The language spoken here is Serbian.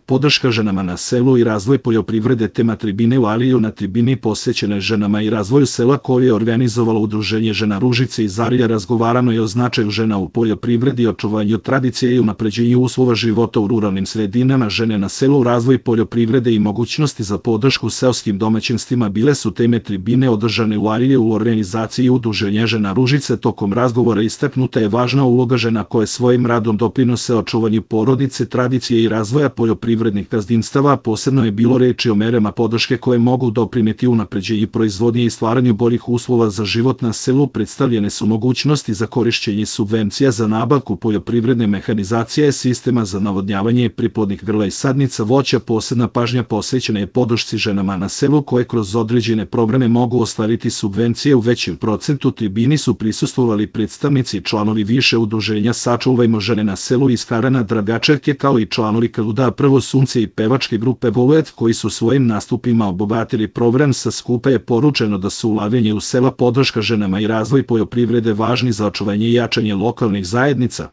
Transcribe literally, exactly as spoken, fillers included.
podrška ženama na selu i razvoj poljoprivrede, tema tribine u Aliju. Na tribini posvećene ženama i razvoju sela koje je organizovalo Udruženje žena Ružice iz Arilja razgovarano je o značaju žena u poljoprivredi, očuvanju tradicije i unapređenju uslova života u ruralnim sredinama, žene na selu, razvoj poljoprivrede i mogućnosti za podršku seoskim domaćinstvima bile su teme tribine održane u Arilju u organizaciji Udruženja žena Ružice. Tokom razgovora istaknuta je važna uloga žena koje svojim radom doprinose očuvanju porodice, tradicije i razvoja poljoprivrednih gazdinstava. Posebno je bilo reči o merama podrške koje mogu doprineti unapređenju proizvodnje i stvaranju boljih uslova za život na selu. Predstavljene su mogućnosti za korišćenje subvencija za nabavku poljoprivredne mehanizacije, sistema za navodnjavanje priplodnih grla i sadnica voća. Posebna pažnja posvećena je podršci ženama na selu koje kroz određene programe mogu ostvariti subvencije u većem procentu. Tribini su prisustvovali predstavnici i članovi više udruženja Sačuvajmo žene na selu iz Karana Dragačevke, kao i članovi Kaluda Prvo sunce i pevačke grupe Volet, koji su svojim nastupima obogatili program. Sa skupa je poručeno da su ulaganje u sela, podrška ženama i razvoj poljoprivrede važni za očuvanje i jačanje lokalnih zajednica.